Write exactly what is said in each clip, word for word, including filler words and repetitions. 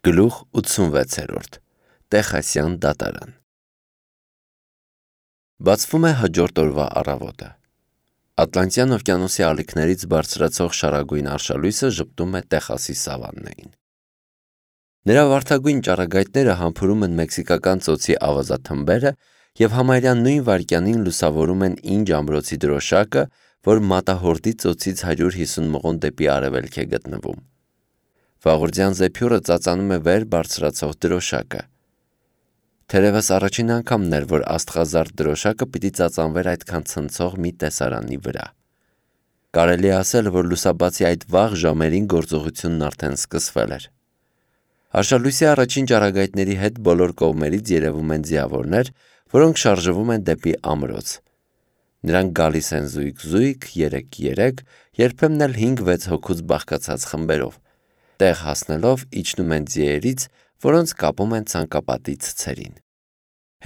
Գլուխ ութսունվեցերորդ Տեխասյան դատարան Բացվում է հաջորդ օրվա առավոտը։ Ատլանտյան օվկիանոսի ալիքներից բարձրացող շարագույն արշալույսը ժպտում է Տեխասի սավաննային։ Նրա վարդագույն ճառագայթները համբուրում են մեքսիկական ծոցի ավազաթմբերը և համարյա նույն վայրկյանին լուսավորում են Ինջ ամրոցի դրոշակը, որ մատահորդի ծոցից հարյուր հիսուն մղոն դեպի արևելք է գտնվում։ Վաղորդյան զեփյուռը ծածանում է վեր բարձրացող դրոշակը։ Թերևս առաջին անգամն էր, որ աստղազարդ դրոշակը պիտի ծածանվեր այդքան ցնցող մի տեսարանի վրա։ Կարելի է ասել, որ լուսաբացի այդ վաղ ժամերին գործողությունն արդեն սկսվել էր։ Արշալույսի առաջին ճառագայթների հետ բոլոր կողմերից երևում են ձիավորներ, որոնք շարժվում են դեպի ամրոց։ Նրանք գալիս են զույգ-զույգ, երեք-երեք, երբեմն էլ հինգ-վեց հոգուց բաղկացած խմբերով։ Տեղ հասնելով իջնում են ձիերից, որոնց կապում են ցանկապատի ցցերին։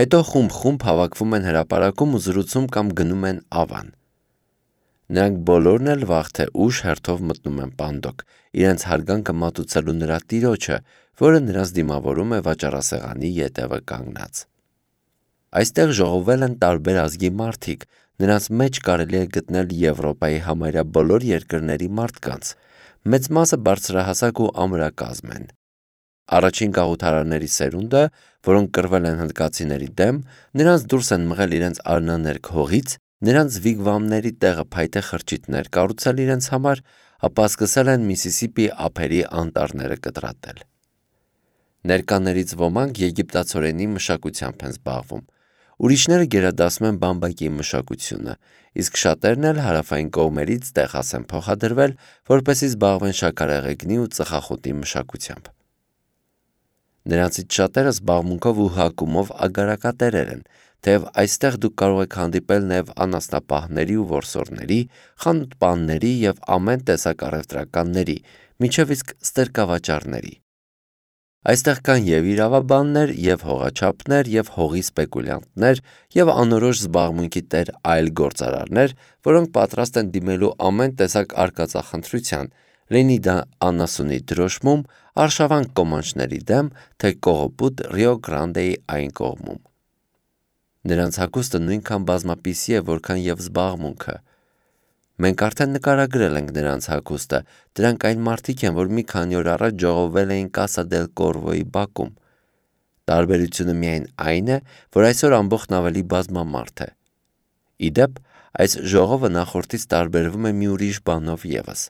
Հետո խումբ-խումբ հավաքվում են հրապարակում ու զրուցում կամ գնում են ավան։ Նրանք բոլորն էլ վաղ թե ուշ հերթով մտնում են պանդոկ, իրենց հարգանքը մատուցելու նրա տիրոջը, որը նրանց դիմավորում է վաճառասեղանի ետևը կանգնած։ Այստեղ ժողովվել են տարբեր ազգի մարդիկ, նրանց մեջ կարելի է գտնել Եվրոպայի համարյա բոլոր երկրների մարդկանց, մեծ մասը բարձրահասակ ու ամրակազմ են։ Առաջին գաղութարարների սերունդը, որոնք կռվել են հնդկացիների դեմ, նրանց դուրս են մղել իրենց արնաներկ հողից, նրանց վիգվամների տեղը փայտե խրճիթներ կառուցել իրենց համար, ապա սկսել են Միսիսիպի ափերի անտառները կտրատել։ Ներկաներից ոմանք եգիպտացորենի մշակությամբ են զբաղվում, ուրիշները գերադասում են բամբակի մշակությունը, իսկ շատերն էլ հարավային կողմերից Տեխաս են փոխադրվել, որպեսզի զբաղվեն շաքարեղեգնի ու ծխախոտի մշակությամբ։ Նրանցից շատերը զբաղմունքով ու հակումով ագարակատերեր են, թեև այստեղ դուք կարող եք հանդիպել նաև անասնապահների ու որսորդների, խանութպանների և ամեն տեսակ առևտրականների, մինչև իսկ ստրկավաճառների։ Այստեղ կան և իրավաբաններ, և հողաչափներ, և հողի սպեկուլյանտներ, և անորոշ զբաղմունքի տեր այլ գործարարներ, որոնք պատրաստ են դիմելու ամեն տեսակ արկածախնդրության, լինի դա անասունի դրոշմում, արշավանք կոմանչների դեմ, թե կողոպուտ Ռիո Գրանդեի այն կողմում։ Նրանց հագուստը նույնքան բազմապիսի է, որքան և զբաղմունքը։ Մենք արդեն նկարագրել ենք նրանց հագուստը, դրանք այն մարդիկ են, որ մի քանի օր առաջ ժողովվել էին Կասա դել Կորվոյի բակում։ Տարբերությունը միայն այն է, որ այսօր ամբողջն ավելի բազմամարդ է։ Ի դեպ, այս ժողովը նախորդից տարբերվում է մի ուրիշ բանով ևս։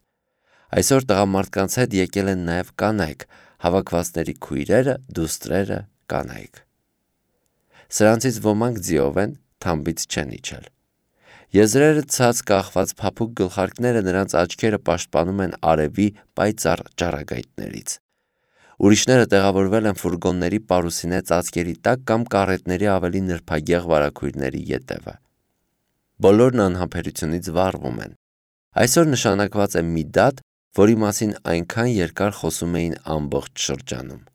Այսօր տղամարդկանց հետ եկել են նաև կանայք, հավաքվածների քույրերը, դուստրերը, կանայք։ Սրանցից ոմանք ձիով են, թամբից չեն իջել։ Եզրերը ցած կախված փափուկ գլխարկները նրանց աչքերը պաշտպանում են արևի պայծառ ճառագայթներից։ Ուրիշները տեղավորվել են ֆուրգոնների պարուսինե ծածկերի տակ կամ կառետների ավելի նրբագեղ վարագույրների ետևը։ Բոլորն անհամբերությունից վառվում են։ Այսօր նշանակված է մի դատ, որի մասին այնքան երկար խոսում էին ամբողջ շրջանում։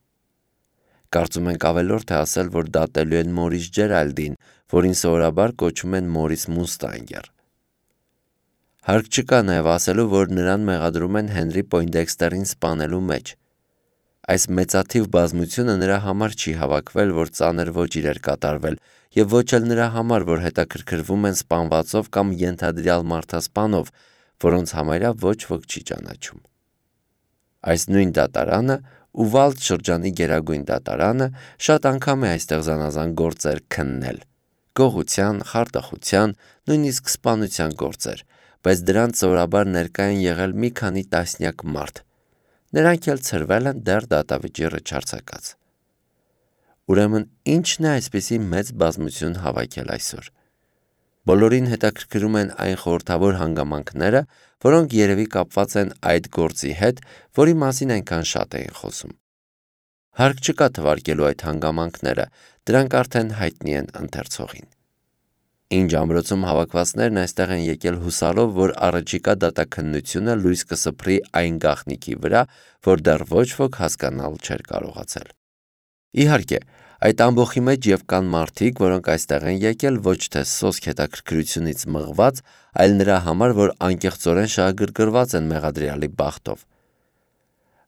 Կարծում ենք ավելորդ է ասել, որ դատելու են Մորիս Ջերալդին, որին սովորաբար կոչում են Մորիս Մուստանգեր։ Հարկ չկա նաև ասելու, որ նրան մեղադրում են Հենրի Պոյնդեքստերին սպանելու մեջ։ Այս մեծաթիվ բազմությունը նրա համար չի հավաքվել, որ ծանր ոճիր էր կատարվել, և ոչ էլ նրա համար, որ հետաքրքրվում են սպանվածով կամ ենթադրյալ մարդասպանով, որոնց համարյա ոչ ոք չի ճանաչում։ Այս նույն դատարանը, Ուվալդ շրջանի գերագույն դատարանը, շատ անգամ է այստեղ զանազան գործեր քննել, գողության, խարդախության, նույնիսկ սպանության գործեր, բայց դրանց սովորաբար ներկա են եղել մի քանի տասնյակ մարդ։ Նրանք էլ ցրվել են դեռ դատավճիռը չարձակած։ Ուրեմն ի՞նչն է այսպիսի մեծ բազմություն հավաքել այսօր։ Բոլորին հետաքրքրում են այն խորհրդավոր հանգամանքները, որոնք երևի կապված են այդ գործի հետ, որի մասին այնքան շատ էին խոսում։ Հարկ չկա թվարկելու այդ հանգամանքները, դրանք արդեն հայտնի են ընթերցողին։ Ինջ ամրոցում հավաքվածներն այստեղ են եկել հուսալով, որ առաջիկա դատաքննությունը լույս կսփռի այն գաղտնիքի վրա, որ դեռ ոչ ոք հասկանալ չէր կարողացել։ Իհարկե, այդ ամբոխի մեջ և կան մարդիկ, որոնք այստեղ են եկել ոչ թե սոսկ հետաքրքրությունից մղված, այլ նրա համար, որ անկեղծորեն շահագրգռված են մեղադրյալի բախտով։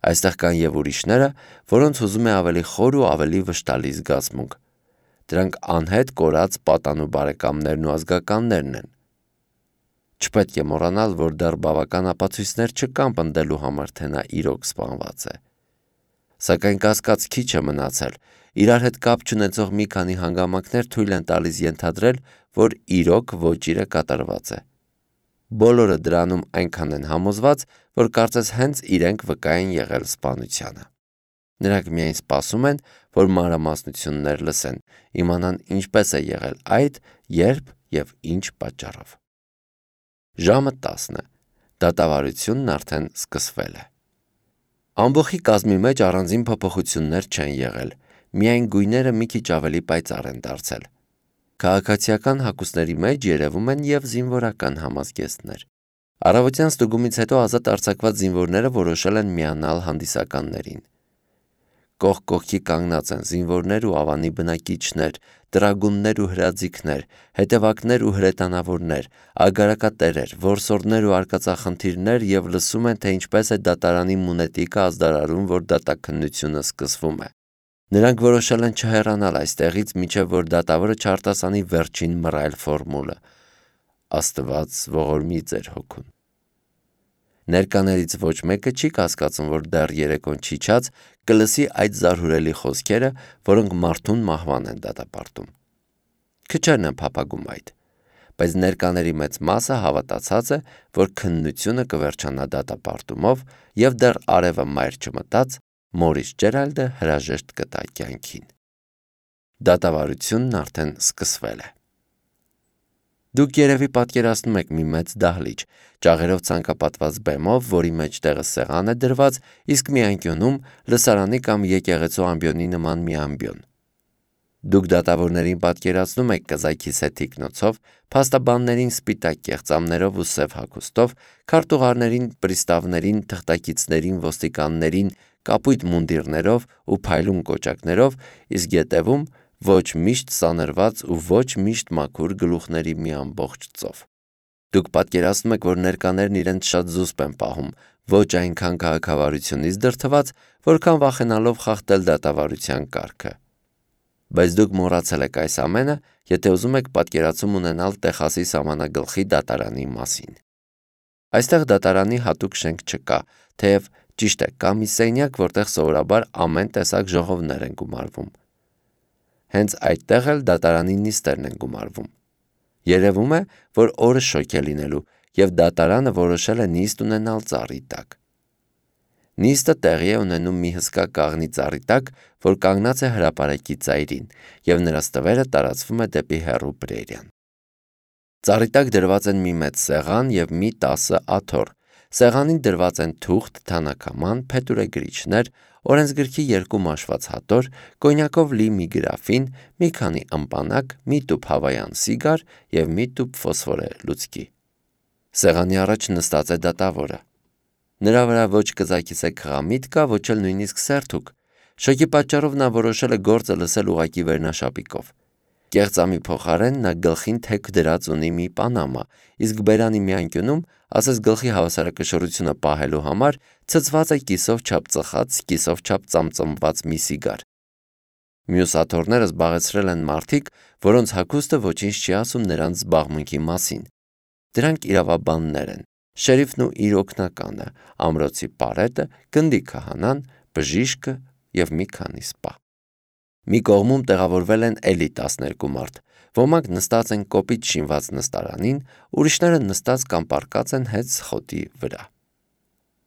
Այստեղ կան եւ ուրիշները, որոնց հուզում է ավելի խոր ու ավելի վշտալի զգացմունք։ Դրանք անհետ կորած պատանու բարեկամներն ու ազգականներն են։ Չպետք է մոռանալ, որ դեռ բավական ապացույցներ չկան պնդելու համար, թե նա իրոք սպանված է։ Սակայն կասկած քիչ է մնացել, իրար հետ կապ չունեցող մի քանի հանգամանքներ թույլ են տալիս ենթադրել, որ իրոք ոճիրը կատարված է։ Բոլորը դրանում այնքան են համոզված, որ կարծես հենց իրենք վկա են եղել սպանությանը։ Նրանք միայն սպասում են, որ մանրամասնություններ լսեն, իմանան ինչպես է եղել այդ, երբ եւ ինչ պատճառով։ Ժամը տասն է, դատավարությունն արդեն սկսվել է։ Ամբոխի կազմի մեջ առանձին փոփոխություններ չեն եղել, միայն գույները մի քիչ ավելի պայծառ են դարձել։ Քաղաքացիական հագուստների մեջ երևում են եւ զինվորական համազգեստներ։ Առավոտյան ստուգումից հետո ազատ արձակված զինվորները որոշել են միանալ հանդիսականներին։ Կողք կողքի կանգնած են զինվորներ ու ավանի բնակիչներ, տրագուններ ու հրաձիգներ, հետևակներ ու հրետանավորներ, ագարակատերեր, որսորդներ ու արկածախնդիրներ եւ լսում են, թե ինչպես է դատարանի մունետիկը ազդարարում, որ դատաքննությունը սկսվում է։ Նրանք որոշել են չհեռանալ այստեղից, մինչև որ դատավորը չարտասանի վերջին մռայլ ֆորմուլը. Աստված ողորմի ձեր հոգուն։ Ներկաներից ոչ մեկը չի կասկածում, որ դեռ երեկոն չիջած կլսի այդ զարհուրելի խոսքերը, որոնք մարդուն մահվան են դատապարտում։ Քչերն են փափագում այդ, բայց ներկաների մեծ մասը հավատացած է, որ քննությունը կվերջանա դատապարտումով եւ դեռ արևը մայր չմտած Մորիս Ջերալդը հրաժեշտ կտա կյանքին։ Դատավարությունն արդեն սկսվել է։ Դուք երևի պատկերացնում եք մի մեծ դահլիճ, ճաղերով ցանկապատված բեմով, որի մեջտեղը սեղան է դրված, իսկ մի անկյունում լսարանի կամ եկեղեցու ամբիոնի նման մի ամբիոն։ Դուք դատավորներին պատկերացնում եք կզայքի սեթիկնոցով, փաստաբաններին սպիտակ կեղծամներով ու սև հագուստով, քարտուղարներին, պրիստավներին, թղթակիցներին, ոստիկաններին, կապույտ մունդիրներով ու փայլուն կոճակներով, իսկ ետևում ոչ միշտ սանրված ու ոչ միշտ մաքուր գլուխների մի ամբողջ ծով։ Դուք պատկերացնում եք, որ ներկաներն իրենց շատ զուսպ են պահում, ոչ այնքան քաղաքավարությունից դրդված, որքան վախենալով խախտել դատավարության կարգը։ Բայց դուք մոռացել եք այս ամենը, եթե ուզում եք պատկերացում ունենալ Տեխասի սահմանագլխի դատարանի մասին։ Այստեղ դատարանի հատուկ շենք չկա, թեև ճիշտ է, կա մի սենյակ, որտեղ սովորաբար ամեն տեսակ ժողովներ են գումարվում։ Հենց այդտեղ էլ դատարանի նիստերն են գումարվում։ Երևում է, որ օրը շոգ է լինելու, եւ դատարանը որոշել է նիստ ունենալ ծառի տակ։ Նիստը տեղի է ունենում մի հսկա կաղնի ծառի տակ, որ կանգնած է հրապարակի ծայրին, եւ նրա ստվերը տարածվում է դեպի հեռու Պրերիան։ Ծառի տակ դրված են մի մեծ սեղան եւ մի տասը աթոռ։ Սեղանին դրված են թուղթ, թանաքաման, փետուրեգրիչներ, օրենսգրքի երկու մաշված հատոր, կոնյակով լի մի գրաֆին, մի քանի ըմպանակ, մի տուփ հավայան սիգար եւ մի տուփ ֆոսֆորե լուցկի։ Սեղանի առաջ նստած է դատավորը։ Նրա վրա ոչ կզակիս է խղամիտ կա, ոչ էլ նույնիսկ սերթուկ։ Շոկի պատճառով նա որոշել է գործը լսել ուղակի վերնաշապիկով։ Կեղծամի փոխարեն նա գլխին թեք դրած ունի մի պանամա, իսկ բերանի մի անկյունում, ասես գլխի հավասարակշռությունը պահելու համար, ցցված է կիսով չափ ծխած, կիսով չափ ծամծմված մի սիգար։ Մյուս աթոռները զբաղեցրել են մարդիկ, որոնց հագուստը ոչինչ չի ասում նրանց զբաղմունքի մասին։ Դրանք իրավաբաններ են, շերիֆն ու իր օգնականը, ամրոցի պարետը, գնդի քահանան, բժիշկը եւ մի քանի սպա։ Մի կողմում տեղավորվել են էլի տասներկու մարդ, ոմանք նստած են կոպիտ շինված նստարանին, ուրիշները նստած կամ պառկած են հետ սխոտի վրա։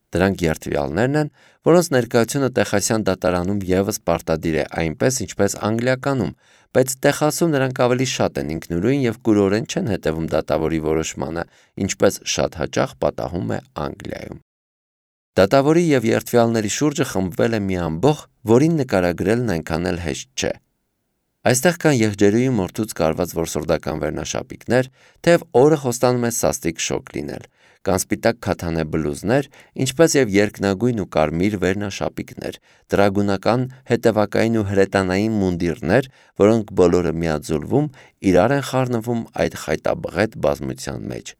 Դրանք երթվյալներն են, որոնց ներկայությունը տեխասյան դատարանում եւս պարտադիր է այնպես, ինչպես անգլիականում, բայց Տեխասում նրանք ավելի շատ են ինքնուրույն եւ կուրորեն չեն հետևում դատավորի որոշմանը, ինչպես շատ հաճախ պատահում է Անգլիայում։ Դատավորի եւ երթվյալների շուրջը խմբվել է մի ամբոխ, որին նկարագրելն այնքան էլ հեշտ չէ։ Այստեղ կան եղջերուի մորթուց կարված որսորդական վերնաշապիկներ, թեև օրը խոստանում է սաստիկ շոկ լինել, կան սպիտակ քաթանե բլուզներ, ինչպես եւ երկնագույն ու կարմիր վերնաշապիկներ, տրագունական, հետևակային ու հրետանային մունդիրներ, որոնք բոլորը միաձուլվում իրար են խառնվում այդ խայտաբղետ բազմության մեջ։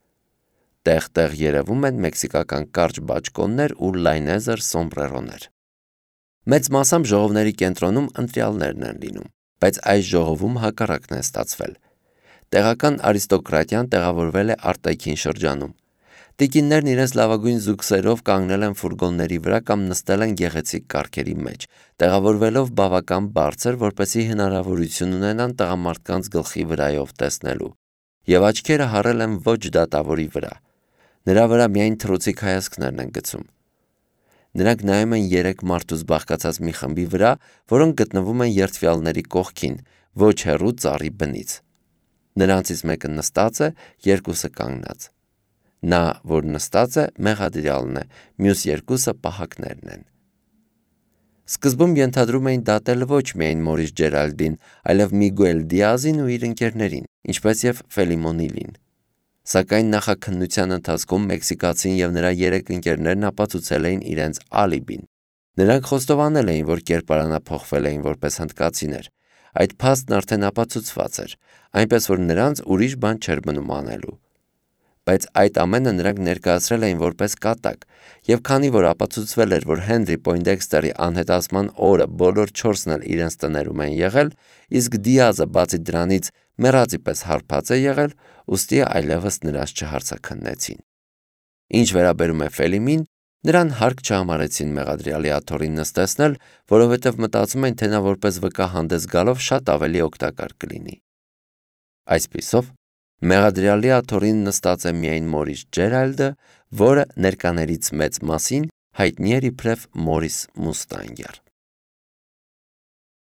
Տեղ-տեղ երևում են մեքսիկական կարճ բաճկոններ ու լայնեզր սոմբրերոներ։ Մեծ մասամբ ժողովների կենտրոնում ընտրյալներն են լինում, բայց այս ժողովում հակառակն է ստացվել։ Տեղական արիստոկրատիան տեղավորվել է արտաքին շրջանում։ Տիկիններն իրենց լավագույն զուգսերով կանգնել են ֆուրգոնների վրա կամ նստել են գեղեցիկ կառքերի մեջ, տեղավորվելով բավական բարձր, որպեսզի հնարավորություն ունենան տղամարդկանց գլխի վրայով տեսնելու, եւ աչքերը հառել են ոչ դատավորի վրա։ Նրա վրա միայն թռուցիկ հայացքներն են գցում։ Նրանք նայում են երեք մարդուց բաղկացած մի խմբի վրա, որոնք գտնվում են երդվյալների կողքին, ոչ հեռու ծառի բնից։ Նրանցից մեկը նստած է, երկուսը կանգնած։ Նա, որ նստած է, մեղադրյալն է, մյուս երկուսը պահակներն են։ Սկզբում ենթադրում էին դատել ոչ միայն Մորիս Ջերալդին, այլև Միգուել Դիազին ու իր ընկերներին, ինչպես եւ Ֆելիմոնիլին։ Սակայն նախաքննության ընթացքում մեքսիկացին եւ նրա երեք ընկերներն ապացուցել էին իրենց ալիբին։ Նրանք խոստովանել էին, որ կերպարանափոխվել էին որպես հնդկացիներ։ Այդ փաստն արդեն ապացուցված էր, այնպես որ նրանց ուրիշ բան չէր մնում անելու։ Բայց այդ ամենը նրանք ներկայացրել էին որպես կատակ, եւ քանի որ ապացուցվել էր, որ Հենրի Պոյնդեքստերի անհետացման օրը բոլոր չորսն էլ իրենց տներում են եղել, իսկ Դիազը բացի դրանից մեռածի պես հարբած է եղել, ուստի այլևս նրանց չհարցաքննեցին։ Ինչ վերաբերում է Ֆելիմին, նրան հարկ չհամարեցին մեղադրյալի աթոռին նստեցնել, որովհետև մտածում են, թե նա որպես վկա հանդես գալով շատ ավելի օգտակար կլինի։ Այսպիսով, մեղադրյալի աթոռին նստած է միայն Մորիս Ջերալդը, որը ներկաներից մեծ մասին հայտնի էր իբրև Մորիս Մուստանգեր։